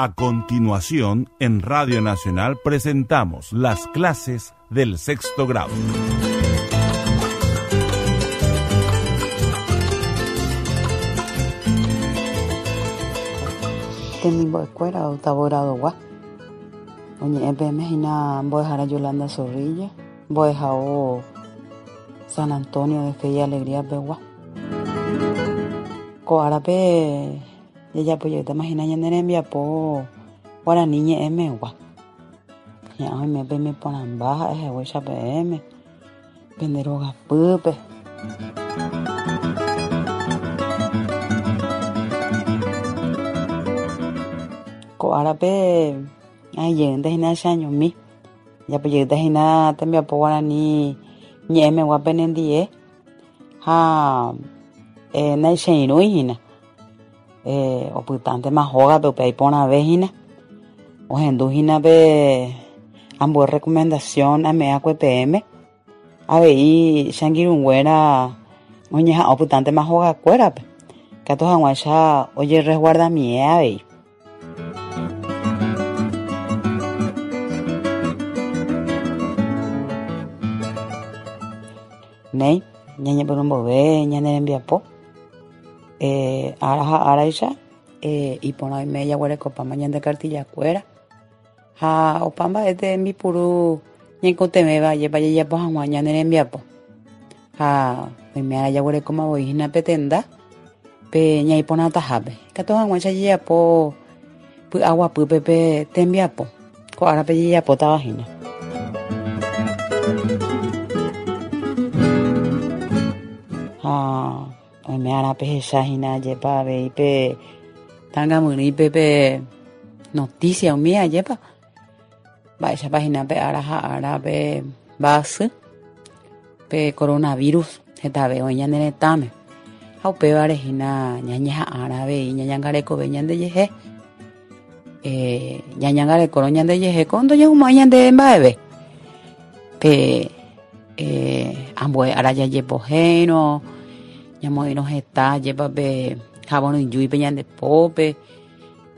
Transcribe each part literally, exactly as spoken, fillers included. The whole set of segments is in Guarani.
A continuación, en Radio Nacional presentamos las clases del sexto grado. Temimbo'ekuéra octavo grado-gua. Oñe'ẽpeme hína mbo'ehára Yolanda Zorrilla, mbo'ehao San Antonio de Fe y Alegría pegua. Ko árape jajapojeýtama hína ñane rembiapo guarani ñe'ẽmegua. Hi'ã oime peimeporãmba ha'ehaguéicha peẽme pende rogapýpe. Ko árape ajeýnte hína cheañomi. Japojeýta hína tembiapo guarani ñe'ẽmegua penendie ha eh, naicheirũi hína. Eh, opytántema hógape upe aiporãve hína. Ohendu hína pe ambue recomendación ame'ẽakue peẽme. Avei che angirũnguéra oñeha'ã opytántema hogakuérape. Katu hag̃uáicha ojeresguardamie avei. Néi, ñañepyrũmbove ñane rembiapo. Eh, ára ha áraicha, eh, iporã oime jaguerekopáma ñande cartillakuéra. Ha opa mba'ete mbipuru ñaikotevẽva jepa jajapo hag̃ua ñane rembiapo. Ha oime ára jaguerekóma voi hína pe tenda pe ñaiporãtahápe. Katu hag̃uáicha jajapo py'aguapýpe pe tembiapo. Ko árape jajapótava hína. Ha oime ára pehecha hína jepa avei pe tãngamyrýipe pe noticia umíva jepa. Mba'éichapa hína pe ára ha ára pe mba'asy pe coronavirus hetave oĩ ñane retãme. Ha upévare hína ñañeha'ãra avei ñañangarekove ñandejehe. Eh, ñañangarekórõ ñandejehe ko ndojehumo'ãi ñandéve mba'eve. Pe eh, ambue ára jajepohéirõ, ñamoĩrõ heta jepa pe javoryjúipe ñande pópe,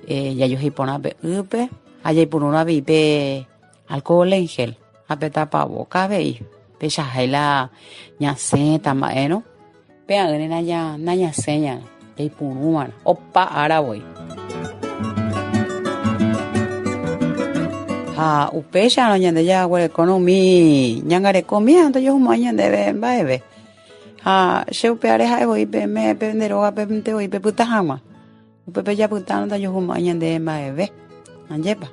eh, jajoheiporã pe ýpe ha jaipurúrõ avei pe alcohol en gel ha pe tapavoka avei. Peichahái la ñasẽta mba'érõ pe'ã'ỹre naña nañasẽñarã jaipurúva'erã opa ára voi. Ha upéicharõ ñande jaguerekórõ umi ñangarekomíva ndojehumo'ãi ñandéve mba'eve. Ha che upe áre ha'e voi peẽme pende rógape voi pepyta hag̃ua. Upépe japytárõ ndajehumo'ãi ñandéve mba'eve. Ajépa.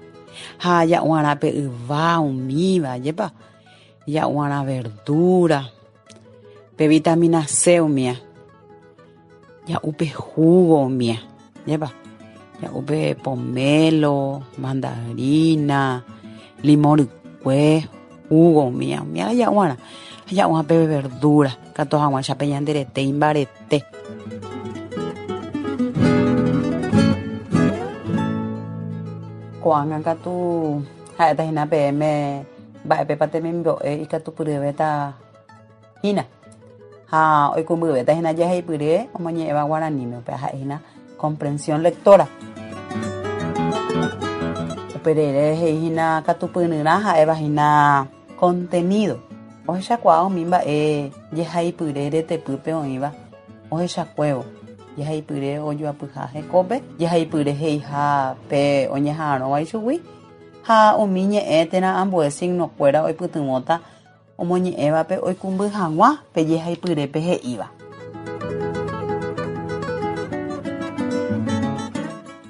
Ha ja'uarã pe yva umíva, ajépa. Ja'uarã verdura, pe vitamina C umíva. Ja'u pe jugo umíva, ajépa. Ja'u pe pomelo, mandarina, limón rykue, jugo umíva, umíva ja'uarã. Ha ja'uarã pe verdura, katu hag̃uáicha pe ñande rete imbarete. Ko'ág̃a katu ha'éta hína peẽme mba'épepa temimbo'e ikatupyryvéta hína. Ha oikũmbyvéta hína jaheipyre omoñe'ẽva guaraníme, upéva ha'e hína comprensión lectora. Uperire he'i hína katupyryrã ha'éva hína contenido. Ohechakuaa umi mba'e jehaipyre retepýpe oĩva ohechakuévo. Jehaipyre ojoapyha hekópe, jehaipyre he'iha pe oñeha'arõva ichugui ha umi ñe'ẽ térã ambue signokuéra oipytyvõta omoñe'ẽvape oikũmby hag̃ua pe jehaipyrépe he'íva.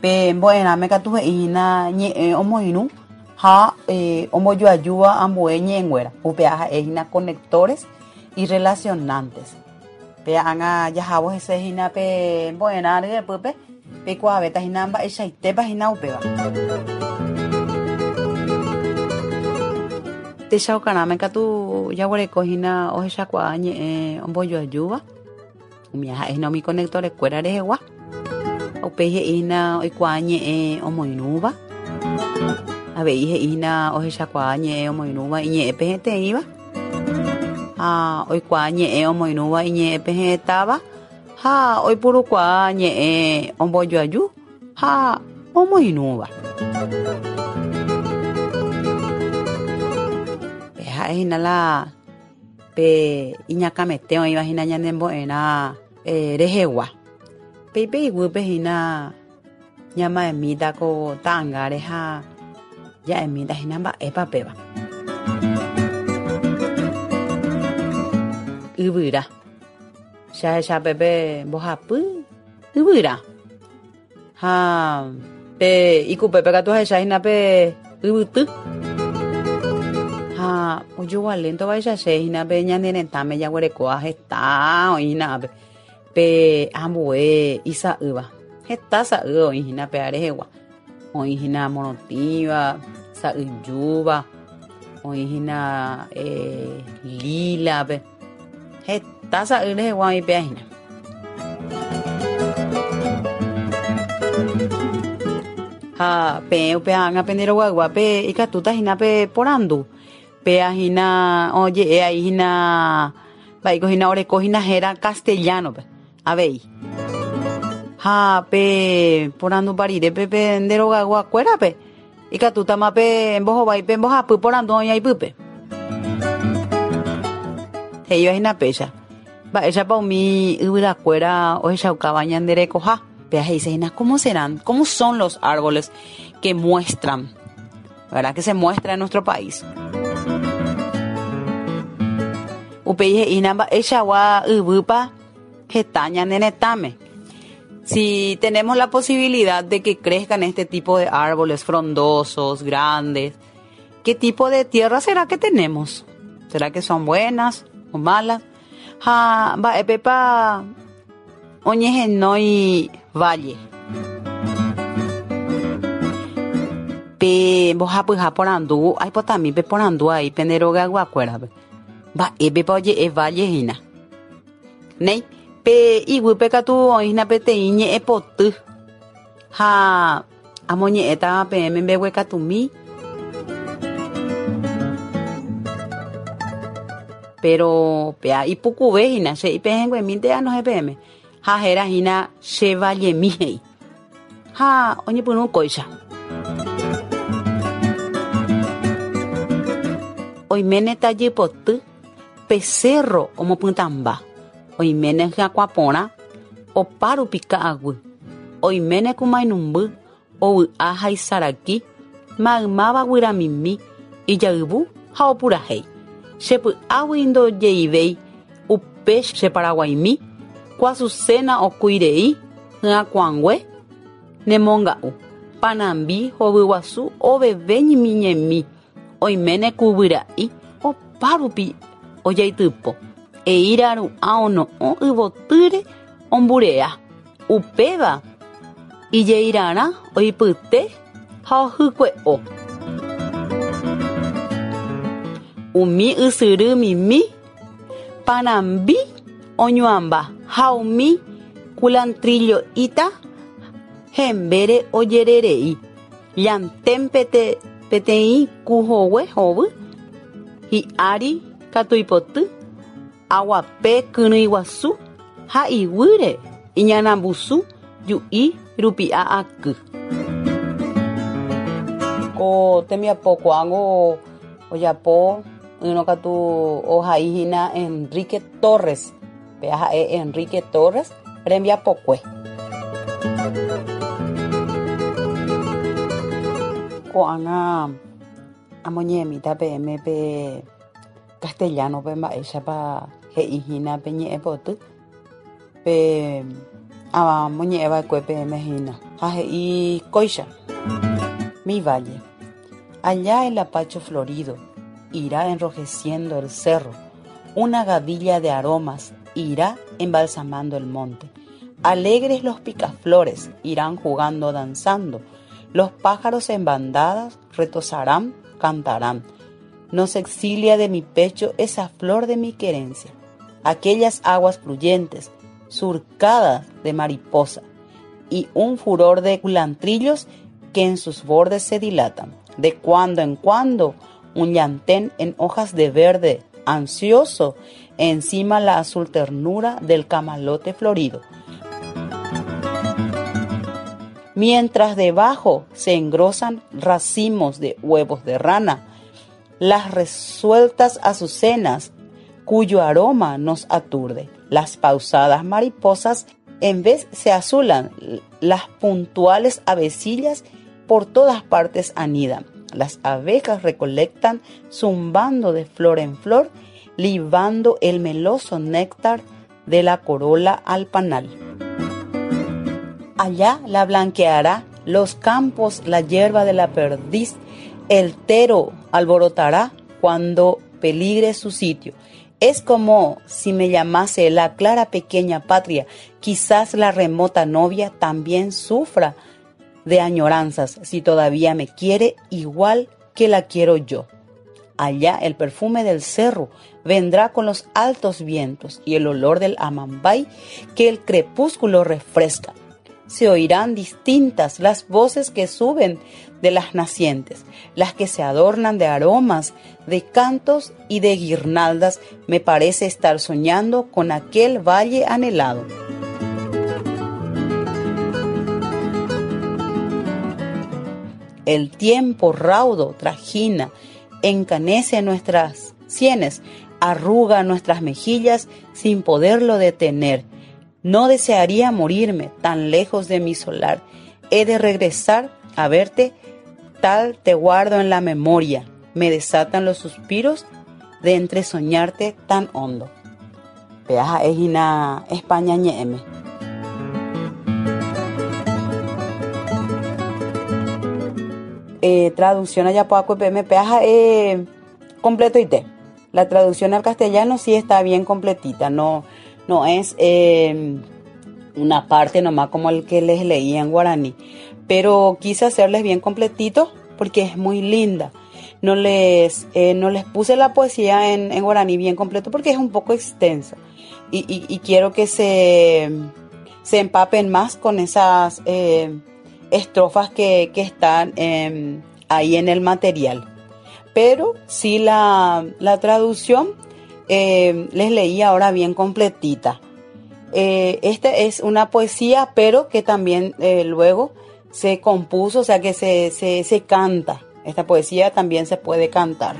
Pe mbo'erãme katu he'i hína ñe'ẽ omoirũ ha eh, ombojoajúva ambue ñe'ẽnguéra. Upéva ha'e hína conectores y relacionantes. Pe ág̃a jahávo hese hína pe mbo'erã ryepýpe peikuaavéta hína mba'eichaitépa hína upéva. Techaukarãme katu jaguereko hína ohechakuaa ñe'ẽ ombojoajúva. Umi ha'e hína umi conectorekuéra rehegua. Upéi he'i hína oikuaa ñe'ẽ omoirũva. Avei he'i hína ohechakuaa ñe'ẽ omoirũva iñe'ẽpe heteĩva. Ha oikuaa ñe'ẽ omoirũva iñe'ẽpe hetáva ha oipurukuaa ñe'ẽ ombojoaju ha omoirũva. Pe ha'ehína la pe iñakãmete oĩvahína ñanembo'erã eh, rehegua. Péipe iguýpe hína ñama'ẽmíta ko ta'ãngáre ha ja'emíta hína mba'épa péva. Yvyra. Che ahecha pépe mbohapy yvyra. Ha pe ikupépe katu ahechahína pe yvyty. Ha ojogualéntovaicha che hína pe ñane retãme jaguerekóva heta oĩhína ápe. Pe ambue isa'ýva. Heta sa'y oĩhína pe rehegua. Oĩhína morotĩva, sa'yjúva, oĩhína eh, lílape. Heta sa'y rehegua oĩ péa hína. Ha peẽ upe ág̃a pende rogaygua ikatúta hína pe porandu. Péa hína oje'e aíhína mba'éiko hína oreko hína héra castellano-pe avei. Ha pe porandupa rirépe pe nde rogayguakuérape ikatútama pe mbohovái pe mbohapy porandu oĩ aipýpe. He'íva hína péicha. Mba'éichapa umi yvyrakuéra ohechaukáva ñande rekoha. Péa he'ise hína ¿cómo serán? ¿Cómo son los árboles que muestran? ¿Verdad? Que se muestra en nuestro país. Upéi he'ína mba'eichagua yvýpa heta ñane retãme. Si tenemos la posibilidad de que crezcan este tipo de árboles frondosos, grandes, ¿qué tipo de tierra será que tenemos? ¿Será que son buenas o malas? Ha mba'épepa oñehenói valle. Pe mbohapyha porandu, aipotami pe porandu aí pende rogayguakuérape. Mba'épepa oje'e valle hína. Néi, pe iguýpe katu oĩhína peteĩ ñe'ẽpoty. Ha amoñe'ẽta peẽme mbeguekatumi. Pero péa ipukuve hína, che ipehẽnguemínte anohẽ peẽme. Ha héra hína che vallemi he'i. Ha oñepyrũ kóicha. Oiméne tajypoty pe cerro omopytãmba. Oiméne hyakuã opárupi ka'aguy. Oiméne kumainumby ovy'a ha isaraki maymáva guyramimi ijayvu ha opurahéi. Chepy'águi ndojeivéi upe che Paraguaimi kuasuséna okuirei hyakuãngue nemonga'u. Panambi hovyguasu oveve ñemiñemi oiméne ku guyra'i opárupi ojaitypo. Eíra ru'ã ono'õ yvotýre omburea. Upéva ijeirarã oipyte ha ohykue'o. Umi ysyry mimi panambi oñuamba ha umi culantrillo'íta hembére ojererei. Llantén pete, peteĩ ku hogue hovy hi'ári katu ipoty aguape kyrỹi guasu ha iguýre iñanambusu ju'i rupi'a aky. Ko tembiapo ko'ág̃o ojapo ỹrõ katu ohaíhína Enrique Torres. Péa ha'e Enrique Torres rembiapokue. Ko'ág̃a amoñe'ẽmíta peẽme pe castellano-pe mba'éichapa he'íhína pe ñe'ẽpoty. Pe amoñe'ẽva'ekue peẽme hína. Ha he'i kóicha. Mi valle. Allá el lapacho florido irá enrojeciendo el cerro. Una gavilla de aromas irá embalsamando el monte. Alegres los picaflores irán jugando, danzando. Los pájaros en bandadas retozarán, cantarán. No se exilia de mi pecho esa flor de mi querencia. Aquellas aguas fluyentes, surcadas de mariposa, y un furor de culantrillos que en sus bordes se dilatan. De cuando en cuando, un llantén en hojas de verde, ansioso, encima la azul ternura del camalote florido. mientras debajo se engrosan racimos de huevos de rana, las resueltas azucenas, cuyo aroma nos aturde. Las pausadas mariposas en vez se azulan, las puntuales avecillas por todas partes anidan. Las abejas recolectan zumbando de flor en flor, libando el meloso néctar de la corola al panal. Allá la blanqueará los campos, la hierba de la perdiz, el tero alborotará cuando peligre su sitio. Es como si me llamase la clara pequeña patria. Quizás la remota novia también sufra de añoranzas, si todavía me quiere igual que la quiero yo. Allá el perfume del cerro vendrá con los altos vientos y el olor del amambay que el crepúsculo refresca. Se oirán distintas las voces que suben de las nacientes, las que se adornan de aromas, de cantos y de guirnaldas. Me parece estar soñando con aquel valle anhelado. El tiempo raudo trajina, encanece nuestras sienes, arruga nuestras mejillas sin poderlo detener. No desearía morirme tan lejos de mi solar. He de regresar a verte, tal te guardo en la memoria. Me desatan los suspiros de entresoñarte tan hondo. Peaja ejina España ñe'eme. Eh, traducción allá poco P M peaja eh, completo y te. La traducción al castellano sí está bien completita, no, no es eh, una parte nomás como el que les leí en guaraní, pero quise hacerles bien completito porque es muy linda. No les, eh, no les puse la poesía en, en guaraní bien completo porque es un poco extensa y, y, y quiero que se, se empapen más con esas eh, estrofas que, que están eh, ahí en el material. Pero sí la, la traducción eh, les leí ahora bien completita. Eh, esta es una poesía, pero que también eh, luego se compuso, o sea que se, se, se canta. Esta poesía también se puede cantar.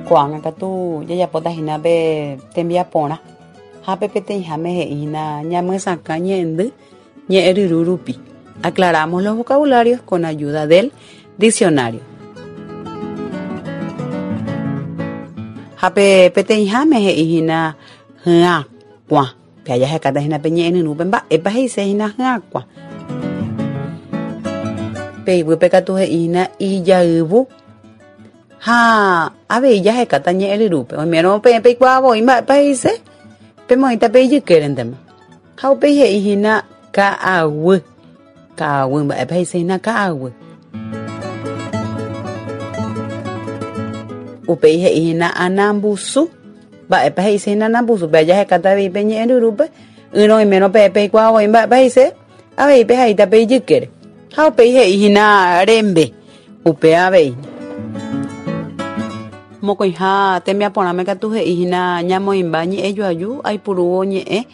Ko'ág̃a katu jajapóta hína pe tembiaporã ha pe peteĩháme he'ína ñamyesakã ñe'ẽndy ñe'ẽryru rupi. Aclaramos los vocabularios con ayuda del diccionario. Ha pe peteĩháme he'i hína hyakuã. Pe jahekátahína hína pe ñe'ẽryrúpe mba'épa he'ise hína hyakuã. Pe iguýpe katu he'i hína ijayvu. Ha avei jahekáta ñe'ẽryrúpe. Oimérõ peẽ peikuaavoi mba'épa he'ise pemoĩta pe ijykérentema. Ha upéi he'i hína ka'aguy. Ka'aguy mba'épa he'ise hína ka'aguy. Upéi he'i hína anambusu. Mba'épa he'ise hína anambusu. Pe jahekáta avei pe ñe'ẽryrúpe. Ỹrõ oimérõ peẽ peikuaavoi mba'épa he'ise avei pehaíta pe ijykére. Ha upéi he'i hína rembe. Upe avei. Mokõiha tembiaporãme katu he'i hína ñamoĩmba ñe'ẽjoaju aipurúvo ñe'ẽ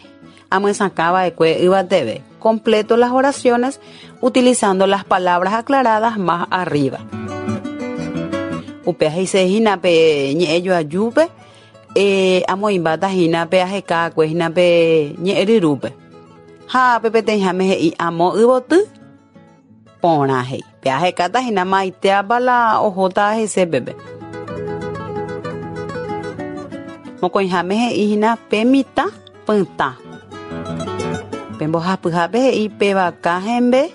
amyesakãva'ekue yvateve. Completo las oraciones utilizando las palabras aclaradas más arriba. Upe he'ise hína pe ñe'ẽjoajúpe eh, amoĩmbáta hína pe ahekakue hína pe ñe'ẽryrúpe. Ha pe peteĩháme he'i amo yvoty porã he'i. Pe ahekáta hína maitéapa la ohóta hese pepe. Mokõiháme he'i hína pe mitã pytã. Pe mbohapyhápe he'i pe vaka hembe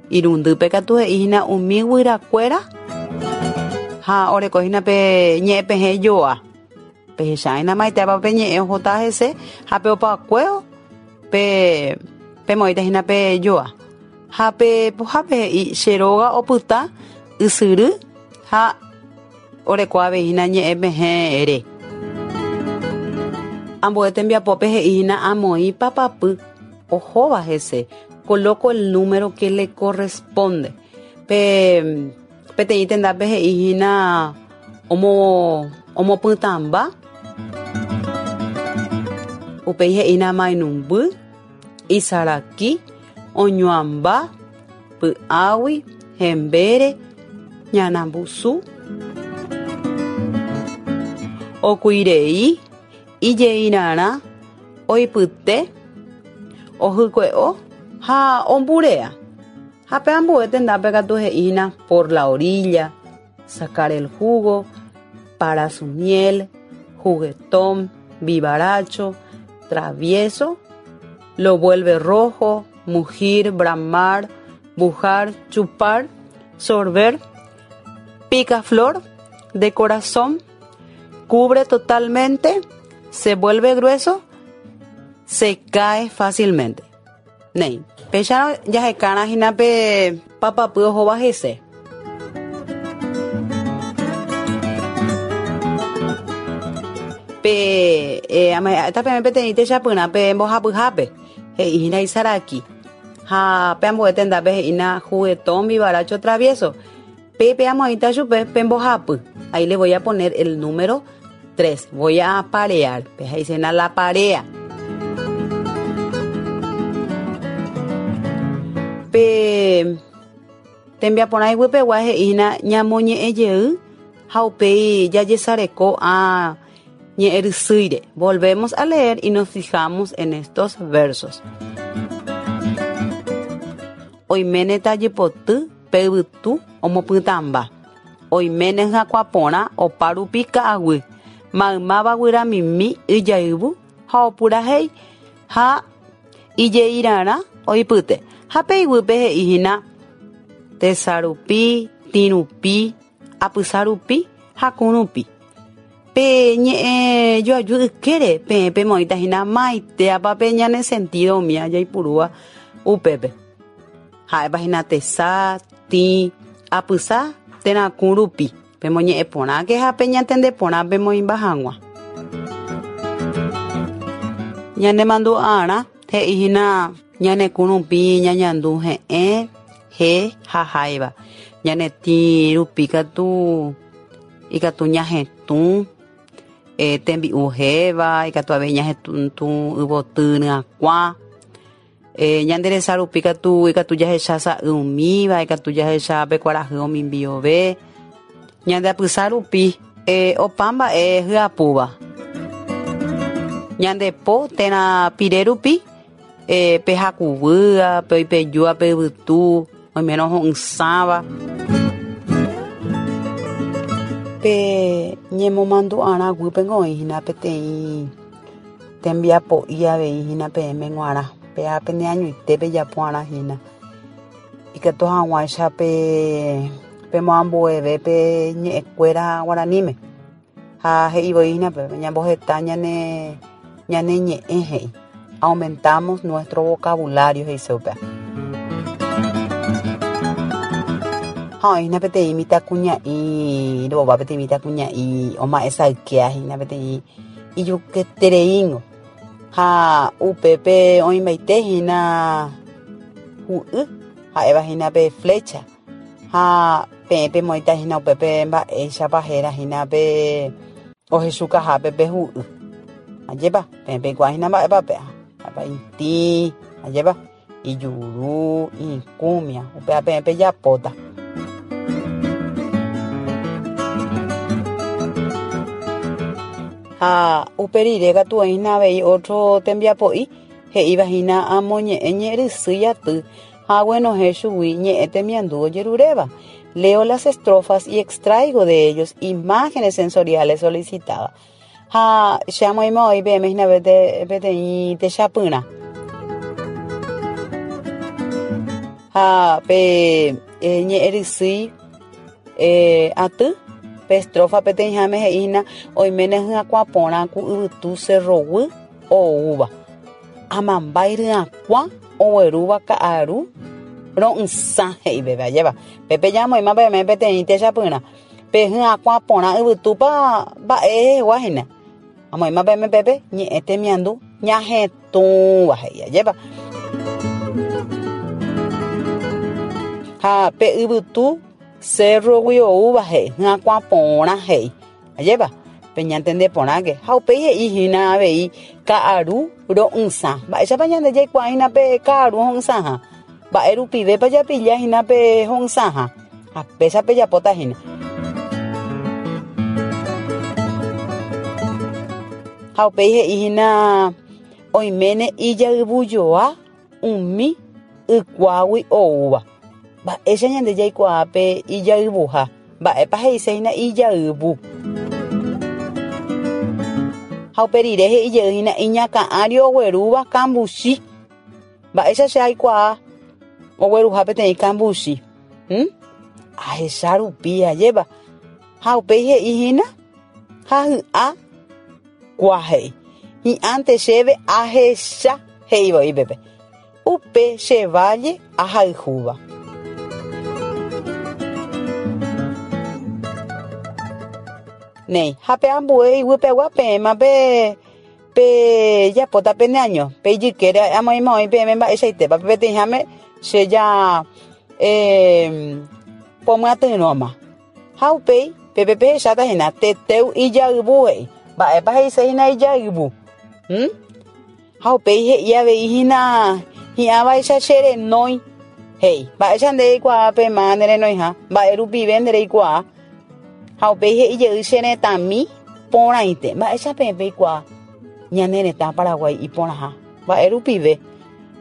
irundýpe katu he'i hína umi guyrakuéra ha oreko hína pe ñe'ẽpehẽ joa. Pehecháina maitépa pe ñe'ẽ ohóta hese ha pe opakuévo pe pemoĩta hína pe joa. Ha pe pohápe he'i che róga opyta ysyry ha oreko avei hína ñe'ẽpehẽ re. Ambue tembiapópe he'i hína amoĩ papapy ohóva hese. Coloco el número que le corresponde. Pe peteĩ tendápe he'i hína omo omopytãmba. Upéi he'ína mainumby, isaraki, oñuamba, py'águi, hembére, ñanambusu, okuirei, ijeirarã, oipyte, ohykue'o ha omburea. Ha pe ambue tendápe katu he'ína por la orilla, sacar el jugo, para su miel, juguetón, vivaracho, travieso, lo vuelve rojo, mugir, bramar, bujar, chupar, sorber, picaflor de corazón, cubre totalmente, se vuelve grueso, se cae fácilmente. Nei, péicha jahekárã hína pe papapy ohóva hese. Pe eh, ame'ẽta peteĩ techapyrã pe mbohapyhápe he'ína isaraki ha pe ambue tendápe he'ína juguetón, vivaracho, travieso. Pe amoĩta chupe pe mbohapy. Ahí le voy a poner el número tres. Voy a parear. Pe he'isena la parea. Pe tembiaporã iguýpegua he'ína ñamoñe'ẽjey ha upéi jajesareko a ñe'ẽrysýire. Volvemos a leer y nos fijamos en estos versos. Oiméne tajypoty pe yvytu omopytãmba. Oiméne hyakuãporã opa rupi ka'aguy. Maymáva guyramimi yjayvu ha opurahéi ha ijeirarã oipyte. Ha pe iguýpe he'íhína tesarupi, tĩrupi, apysarupi ha kũrupi. Pe ñe'ẽjoaju ykére peẽ pemoĩta hína maitéapa pe ñane sentido umía jaipurúva upépe. Ha'épa hína tesa, tĩ, apysa térã kũrupi. Pemoñe'ẽporãke ha peñantendeporã pemoĩmba hag̃ua. Ñanemandu'arã he'íhína ñane kũrupi ñañandu he'ẽ, he ha háiva. Ñane tĩ rupi katu ikatu ñahetũ, eh, tembi'u héva, ikatu avei ñahetũ yvoty ryakuã. Eh, ñande resa rupi katu ikatu jahecha sa'y umíva, ikatu jahecha pe kuarahy omimbiove. Ñande apysa rupi eh, opa mba'e hyapúva. Ñande po térã pire rupi eh, pe hakuvýa, pe oipejúva pe yvytu, oimérõ ho'ysãva. Pe ñemomandu'arã guýpengo oĩhína peteĩ tembiapo'i avei hína peẽme g̃uarã. Péa peneañoite pejapo'arã hína. Ikatu hag̃uáicha pe pemoambueve pe ñe'ẽkuéra guaraníme. Ha he'ivoi hína pe ñamboheta ñane ñane ñe'ẽ he'i. Aumentamos nuestro vocabulario he'ise upéva. Ha oĩhína peteĩ mitãkuña'i rova peteĩ mitãkuña'i oma'ẽsaykéa hína peteĩ ijuketereíngo. Ha upépe oĩmbaite hína hu'y ha'éva hína pe flecha. Ha peẽ pemoĩta hína upépe mba'éichapa héra hína pe ohechukahápe pe hu'y. Ajépa peẽ peikuaa hína mba'épa péa. Ha'épa itĩ, ajépa ijuru, ikũmia, upéva peẽ pejapóta. Ha upe rire katu oĩhína avei otro tembiapo'i he'íva hína amoñe'ẽ ñe'ẽrysýi aty ha aguenohẽ chugui ñe'ẽ temiandu ojeruréva. Leo las estrofas y extraigo de ellos imágenes sensoriales solicitadas. Ha che amoĩma oĩ peẽme hína peteĩ techapyrã. Ha pe ñe'ẽrysýi eh, aty pe estrofa peteĩháme he'ína oiméne hyakuãporã ku yvytu cerroguy oúva. Amambái ryakuã oguerúva ka'aru ro'ysã he'ivéva ajépa. Pépe jamoĩma peẽme peteĩ techapyrã. Pe hyakuãporã yvytúpa mba'e hegua hína. Amoĩma peẽme pépe ñe'ẽ temiandu ñahetũva he'i ajépa. Ha pe yvytu cerrogui oúva he'i hyakuãporã he'i ajépa. Peñantendeporãke ha upéi he'i hína avei Ka'aru ro'ysã. Mba'éichapa ñande jaikuaahína pe ka'aru ho'ysãha. Mba'e rupivépa japillahína pe ho'ysãha. Ha péicha pejapótahína. Ha upéi he'íhína oiméne ijayvujoa umi ykuágui oúva. Mba'éicha ñande jaikuaa pe ijayvuha. Mba'épa he'iséhína ijayvu. Ha upe rire he'ijeyhína iñakã'ári oguerúva kambuchi. Mba'éicha che aikuaa ogueruha peteĩ kambuchi. Hmm? Ahecha rupi ajépa. Ha upéi he'íhína ha hy'a kua he'i. Hi'ánte chéve ahecha he'ivoi pépe. Upe che valle ahayhúva. Néi, ha pe ambue iguýpegua peẽma pe pe japóta peneaño. Pe ijykére amoĩma oĩ peẽme mba'eichaitépa. Peteĩháme che ja eh, pomyatyrõma. Ha upéi pépe pehecháta hína teteu ijayvu he'i. Mba'épa he'iséhína ijayvu. Hmm? Ha upéi he'i avei hína hi'ãvaicha che renói he'i. Mba'éicha nde reikuaa pe ma ne renoiha. Mba'e rupive nde reikuaa. Ha upéi he'ijey che retãmi porãite. Mba'éicha peẽ peikuaa ñane retã Paraguái iporãha. Mba'e rupive.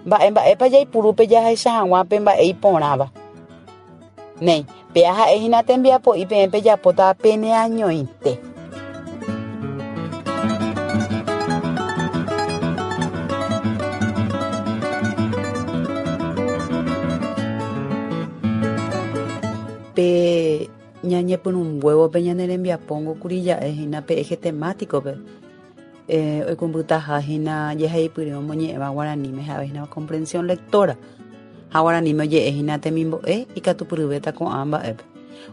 Mba'e mba'épa jaipurúpe jahecha hag̃ua pe mba'e iporãva. Néi, péa ha'ehína tembiapo'i peẽ pejapóta peneañoite. Pe ñañepyrũnguévo pe ñane rembiapóngo kuri ja'ehína pe eje temático-pe. Eh, oikũmbytahahína jehaipyre omoñe'ẽva guaraníme ha'ehína comprensión lectora. Ha guaraníme oje'ehína temimbo'e ikatupyryvéta ko'ã mba'épe.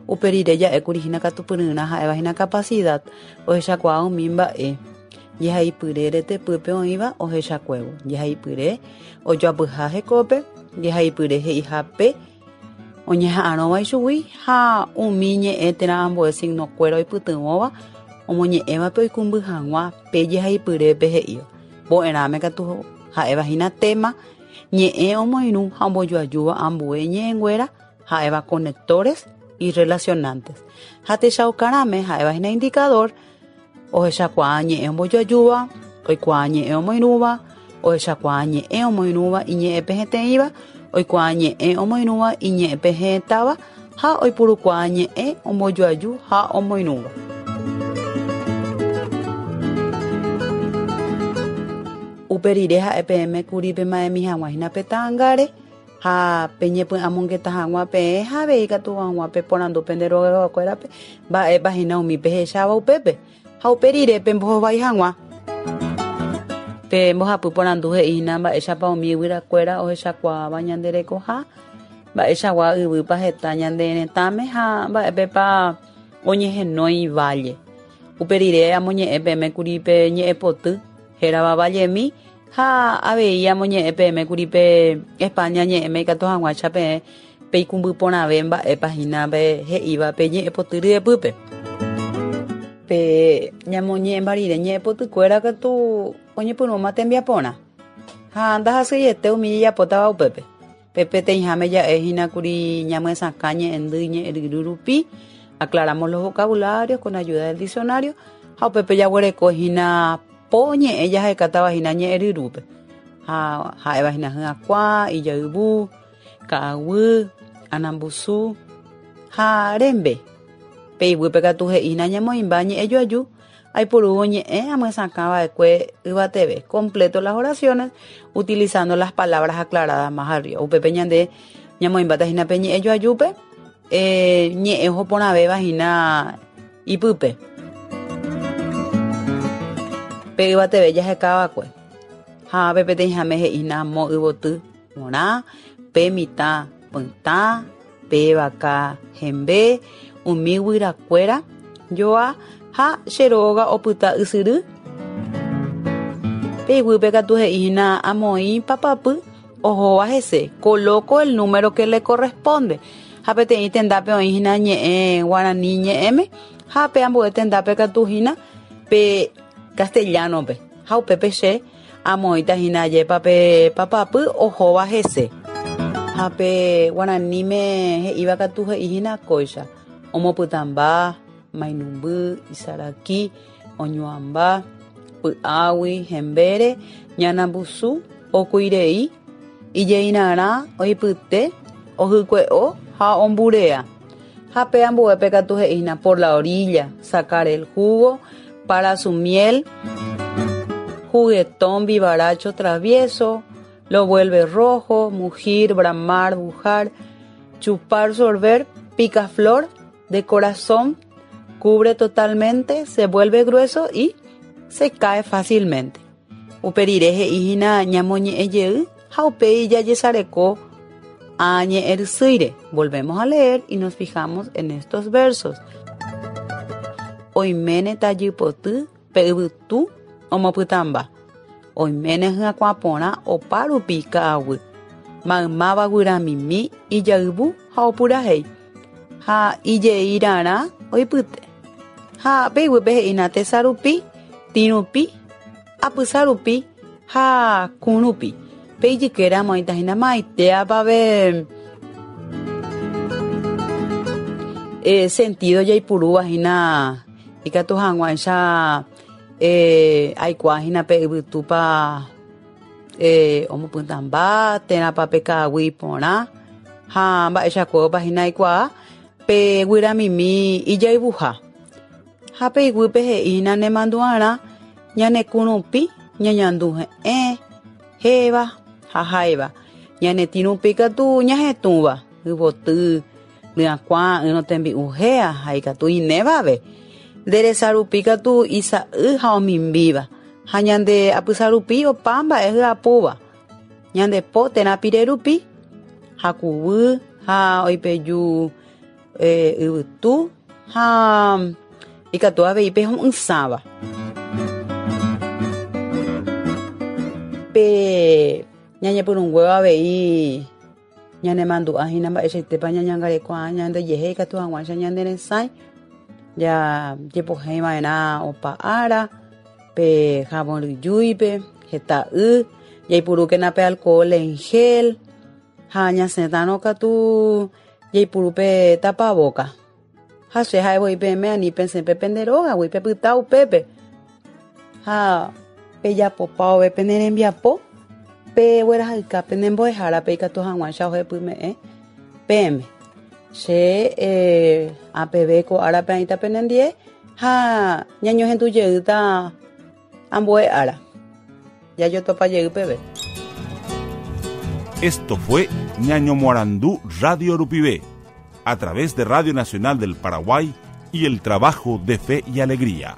Upe rire ja'ékuri hína katupyryrã ha'evahína capacidad ohechakuaa umi mba'e jehaipyre retepýpe oĩva ohechakuévo. Jehaipyre ojoapyha hekópe, jehaipyre he'ihápe oñeha'ãrõva ichugui ha umi ñe'ẽ térã ambue signokuéra oipytyvõva omoñe'ẽvape oikũmby hag̃ua pe jehaipyrépe he'íva. Mbo'erãme katu ha'evahína tema ñe'ẽ omoirũ ha ombojoajúva ambue ñe'ẽnguéra ha'éva conectores y relacionantes. Ha techaukarãme ha'evahína indicador ohechakuaa ñe'ẽ ombojoajúva, oikuaa ñe'ẽ omoirũva, ohechakuaa ñe'ẽ omoirũva iñe'ẽpehẽteĩva, oikuaa ñe'ẽ omoirũva iñe'ẽpehẽtáva ha oipurukuaa ñe'ẽ ombojoaju ha omoirũva. Upe rire ha'e peẽme kuri pema'ẽmi hag̃ua pe ta'ãngáre ha peñepy'amongeta hag̃ua peẽ ha avei katu hag̃ua peporandu pende rogakuérape mba'épa hína umi pehecháva upépe ha upe rire pembohovái hag̃ua. Pe mbohapy porandu he'ína mba'éichapa umi yvyrakuéra ohechakuaáva ñande rekoha, mba'eichagua yvýpa heta ñande retãme ha mba'épepa oñehenói valle. Upe rire amoñe'ẽ peẽme kuri pe ñe'ẽpoty hérava vallemi ha avei amoñe'ẽ peẽme kuri pe España ñe'ẽme ikatu hag̃uáicha peẽ peikũmby porãve mba'épa hína pe he'íva pe ñe'ẽpoty ryepýpe. Pe ñamoñe'ẽmba rire ñe'ẽpotykuéra katu oñepyrũma tembiaporã. Ha ndahasyiete umi jejapótava upépe. Pe peteĩháme ja'ehína kuri ñamyesakã ñe'ẽndy ñe'ẽryru rupi, aclaramos los vocabularios con ayuda del diccionario ha upépe jaguerekohína po ñe'ẽ jahekátavahína ñe'ẽryrúpe. Ha ha'evahína hyakuã, ijayvu, ka'aguy, anambusu ha rembe. Pe iguýpe katu he'ína ñamoĩmba ñe'ẽjoaju aipurúvo ñe'ẽ amyesakãva'ekue yvateve. Completo las oraciones utilizando las palabras aclaradas más arriba. Upépe ñande ñamoĩmbátahína pe ñe'ẽjoajúpe eh, ñe'ẽ ohoporãvévahína ipype. Pe yvateve jahekava'ekue. Ha pe peteĩháme he'ína mo yvoty porã, pe mitã pytã, pe vaka hembe, umi guyrakuéra joa ha che róga opyta ysyry. Pe iguýpe katu he'ína amoĩ papapy ohóva hese. Coloco el número que le corresponde. Ha peteĩ tendápe oĩhína ñe'ẽ guarani ñe'ẽme ha pe ambue tendápe katu hína pe castellano-pe. Ha upépe che amoĩta hína ajépa pe papapy ohóva hese. Ha pe guaraníme he'íva katu he'i hína kóicha. Omopytãmba, mainumby, isaraki, oñuãmba, py'águi, hembére, ñanambusu, okuirei, ijeirarã, oipyte, ohykue'o ha omburea. Ha pe ambuépe katu he'i hína por la orilla, sacar el jugo para su miel, juguetón, vivaracho, travieso, lo vuelve rojo, mugir, bramar, bujar, chupar, sorber, picaflor, de corazón, cubre totalmente, se vuelve grueso y se cae fácilmente. Upe rire he'i hína ñamoñe'ẽ jey ha upéi jajesareko ã ñe'ẽrysýire. Volvemos a leer y nos fijamos en estos versos. Oiméne tajypoty pe yvytu omopytãmba. Oiméne hyakuã porã opa rupi ka'aguy. Maymáva guyramimi ijayvu ha opurahéi. Ha ijeirarã oipyte. Ha pe iguýpe he'ína tesa rupi, tĩ rupi, apysa rupi ha kũ rupi. Pe ijykére amoĩta hína maitéapave eh, sentido jaipurúva hína ikatu hag̃uáicha eh, aikuaa hína pe yvytúpa eh, omopytãmba térãpa pe ka'aguy iporã ha mba'eichakuépa hína aikuaa pe guyramimi ijayvuha. Ha pe iguýpe he'i hína nemandu'arã ñane kũ rupi ñañandu he'ẽ, héva ha háiva. Ñane tĩ rupi katu ñahetũva, yvoty, ryakuã, ỹrõ tembi'u héa ha ikatu inévave. Nde resa rupi katu isa'y ha omimbíva. Ha ñande apysa rupi opa mba'e hyapúva. Ñande po térã pire rupi hakuvy ha oipeju eh, yvytu ha ikatu avei pe ho'ysãva. Pe ñañepyrũnguéva avei ñanemandu'a hína mba'eichaitépa ñañangareko ñandejehe ikatu hag̃uáicha ñaneresãi jajepohéiva'erã opa ára pe jabón ryjúipe heta y jaipurúkena pe alcohol en gel ha ñasẽtarõ katu jaipuru pe tapaboca. Ha che ha'evoi peẽme ani pesẽ pende rógagui pepyta upépe. Ha pejapopavove pene rembiapo peguerahayka pene mbo'ehárape ikatu hag̃uáicha ohepyme'ẽ peẽme. Che eh, apeve ko árape aĩta penendie ha ñañohendujeýta ambue ára. Jajotopa jey peve. Esto fue Ñañomoarandú Radio Rupive, a través de Radio Nacional del Paraguay y el trabajo de Fe y Alegría.